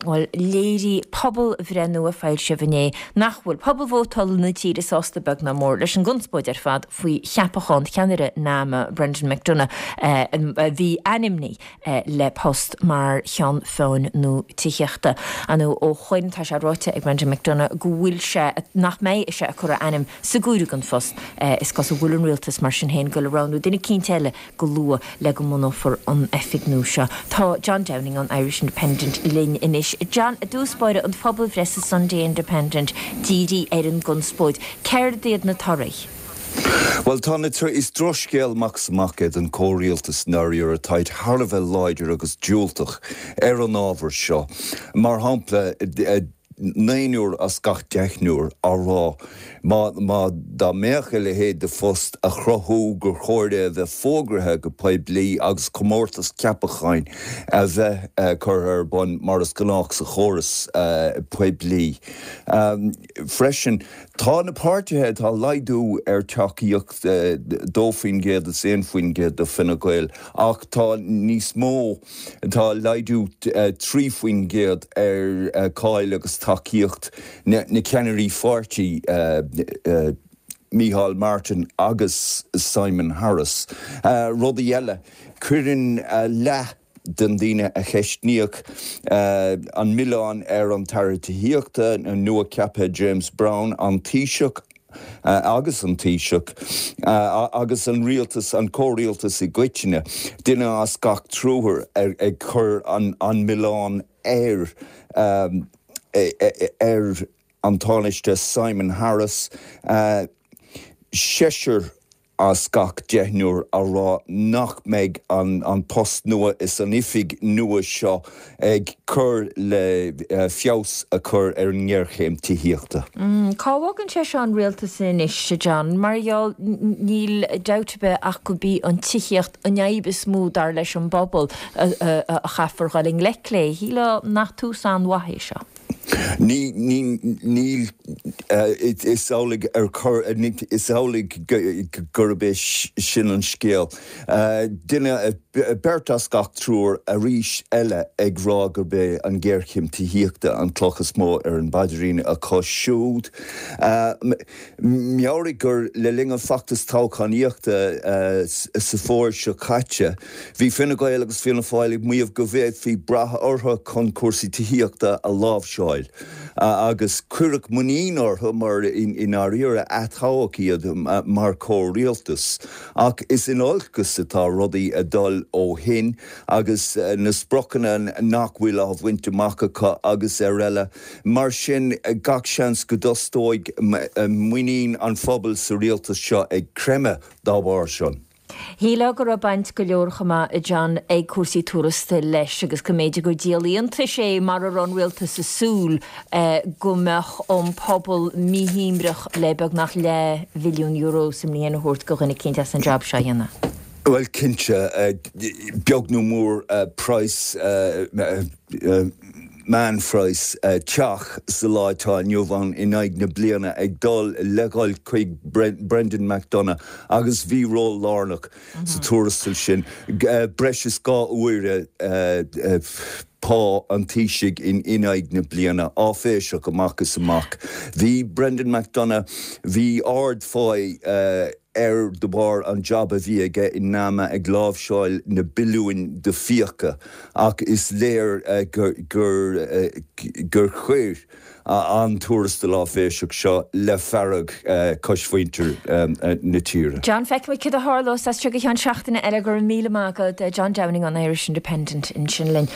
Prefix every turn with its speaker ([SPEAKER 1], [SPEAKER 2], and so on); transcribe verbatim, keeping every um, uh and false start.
[SPEAKER 1] Bhuel léirigh pobalbhreith nua foilsithe inné nach bhfuil pobal vótála na tíre sásta beag ná mór leis an gconspóid ar fad faoi cheapachán cheannaire NAMA Brendan McDonagh a bhí ainmnithe le post mar cheann feadhain nua tithíochta. Anú ó chuin tá sé ráite ag Brendan McDonagh go bhfuil sé nach mbeidh sé ag cur a ainm sa gcomhaireamh don phost is cosúil go bhfuil an rialtas mar sin féin ag dul a roghnú duine eicínt eile go luath le go mbunófar an oifig nua seo. Tá John Downing an Irish Independent linn anois. John i dtús báire an phobalbhreith sa Sunday Independent dírithe ar an gconspóid. Céard iad na torthaí?
[SPEAKER 2] Well tá na is drochscéal amach is amach é don chomhrialtas náir atá thar a bheith láidir agus diúltach ar an ábhar seo. Mar shampla naonúr as gach deichniúr á rá má má dá mbeadh a leithéid de phost á chruthú gur chóir é a bheith fógartha go poiblí agus comórtas ceapacháin a bheith uh, curtha ar bun mar is gnách sa chóras uh, poiblí. Um, freisin tá na páirtithe tá laghdú ar tacaíocht uh, dó faoin gcéad is aon faoin gcéad do Fine Gael ach tá níos mó tá laghdú uh, trí faoin gcéad ar uh, cáil agus tacaíocht na, na ceannairí pháirtí uh, uh, Micheál Martin agus Simon Harris. Uh, Rudaí eile cuireann uh, leath den daoine a ceistíodh uh, an milleán ar an tAire Tithíochta an nua-cheaptha James Browne an Taoiseach Uh, agus an Taoiseach uh, agus an rialtas an comhrialtas i gcoitinne duine as gach triúr ag, ag cur an, an milleán ar um, ar an Tánaiste Simon Harris uh, seisear as gach deichniúr á rá nach mbeidh an, an post nua is an oifig nua seo ag cur le uh, feabhas a chur ar an ngéarchéim tithíochta.
[SPEAKER 1] Mm, Cá bhfágann sé seo an rialtas anois John, mar gheall níl dabht ar bith ach gurb í an tithíocht an fhadhb is mó dar leis an bpobal a chaithfear dul i ngleic léi, shílfeá nach tús an-mhaith é seo.
[SPEAKER 2] Ní ní ní is amhlaidh ar chur is amhlaidh gurb é sin an scéal. Duine beirt as gach triúr arís eile ag rá gurb é an ghéarchéim tithíochta an cloch is mó ar an bpaidirín acu siúd. Meabhraigh gur le linn an feachtas toghchánaíochta sa fómhar seo caite, bhí Fine Gael agus Fianna Fáil ag maíomh go bhféadfaí brath orthu chun cúrsaí tithíochta a láimhseáil. agus cuireadh muinín orthu mar in áirithe atoghadh iad mar chomhrialtas. Ach is in olcas atá rudaí ag dul ó shin agus na spriocanna nach bhfuil á bhaint amach acu agus araile. Mar sin gach seans go dtosóidh muinín an phobail sa rialtas seo ag creimeadh dá bharr sin.
[SPEAKER 1] Shílfeá go raibh baint go leor chomh maith John ag cúrsaí tuarastail leis agus go mb'fhéidir gur díol iontais é mar a raibh an rialtas ag súil go mbeadh an pobal míshuaimhneach le beagnach leathbhilliún euro sa mbliain a thabhairt do dhuine eicínt as an job seo a dhéanamh.
[SPEAKER 2] Well cinnte beag nó mór price meánphraghas teach sa lá atá inniu ann in aghaidh na bliana ag dul le dhul chuig Brendan McDonagh agus bhí ról lárnach sa tuarastal sin breis is dhá uaire pá an Taoisigh in in aghaidh na bliana áiféiseach amach is amach. Bhí Brendan McDonagh bhí ardphá air de bharr an job a bhí aige in NAMA ag láimhseáil na billiúin de fiacha ach is léir gur gur gur chuir an tuarastal áiféiseach seo le fearg cosmhuintir na tíre.
[SPEAKER 1] John feicfimid cad a tharlós as seo go ceann seachtaine eile go raibh míle maith agat John Downing an Irish Independent ansin linn.